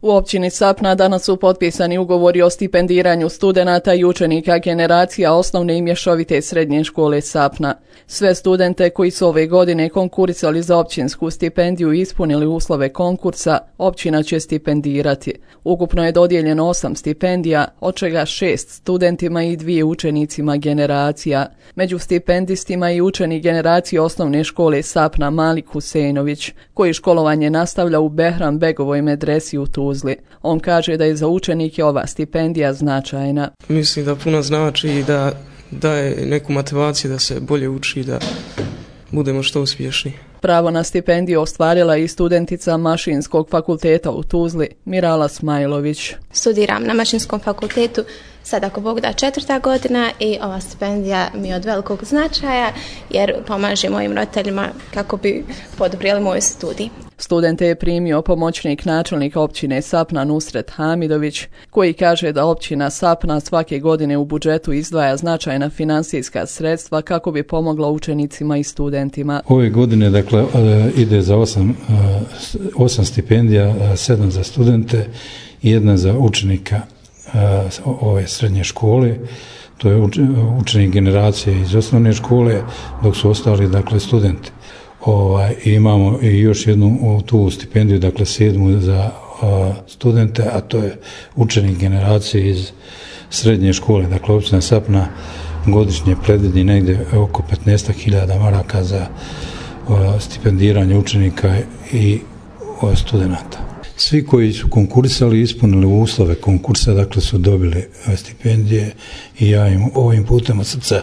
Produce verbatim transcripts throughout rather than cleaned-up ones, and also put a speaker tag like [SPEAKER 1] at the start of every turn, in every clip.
[SPEAKER 1] U općini Sapna danas su potpisani ugovori o stipendiranju studenata i učenika generacija osnovne i mješovite srednje škole Sapna. Sve studente koji su ove godine konkurisali za općinsku stipendiju i ispunili uslove konkursa, općina će stipendirati. Ukupno je dodijeljeno osam stipendija, od čega šest studentima i dvije učenicima generacija. Među stipendistima i učenik generacije osnovne škole Sapna Malik Husejnović, koji školovanje nastavlja u Behram Begovoj medresi u Tuzli. On kaže da je za učenike ova stipendija značajna.
[SPEAKER 2] Mislim da puno znači i da daje neku motivaciju da se bolje uči, da budemo što uspješni.
[SPEAKER 1] Pravo na stipendiju ostvarila i studentica Mašinskog fakulteta u Tuzli, Mirala Smajlović.
[SPEAKER 3] Studiram na Mašinskom fakultetu, sad ako Bog da četvrta godina i ova stipendija mi je od velikog značaja jer pomaže mojim roditeljima kako bi poduprijeli moj studij.
[SPEAKER 1] Studente je primio pomoćnik načelnika općine Sapna Nusret Hamidović, koji kaže da općina Sapna svake godine u budžetu izdvaja značajna finansijska sredstva kako bi pomogla učenicima i studentima.
[SPEAKER 4] Ove godine dakle ide za osam, osam stipendija, sedam za studente i jedna za učenika ove srednje škole. To je učenik generacije iz osnovne škole, dok su ostali dakle studenti. Ovaj, imamo i još jednu tu stipendiju, dakle sedmu za a, studente, a to je učenik generacije iz srednje škole. Dakle, općina Sapna godišnje predvidi negdje oko petnaest hiljada maraka za a, stipendiranje učenika i a, studenata. Svi koji su konkurisali i ispunili uslove konkursa, dakle su dobili stipendije i ja im ovim putem od srca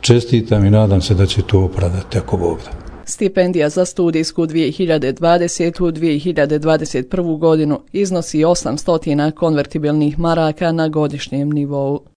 [SPEAKER 4] čestitam i nadam se da će to opravdati ako Bog da.
[SPEAKER 1] Stipendija za studijsku dvije hiljade dvadesetu. dvije hiljade dvadeset prvu godinu iznosi osamsto konvertibilnih maraka na godišnjem nivou.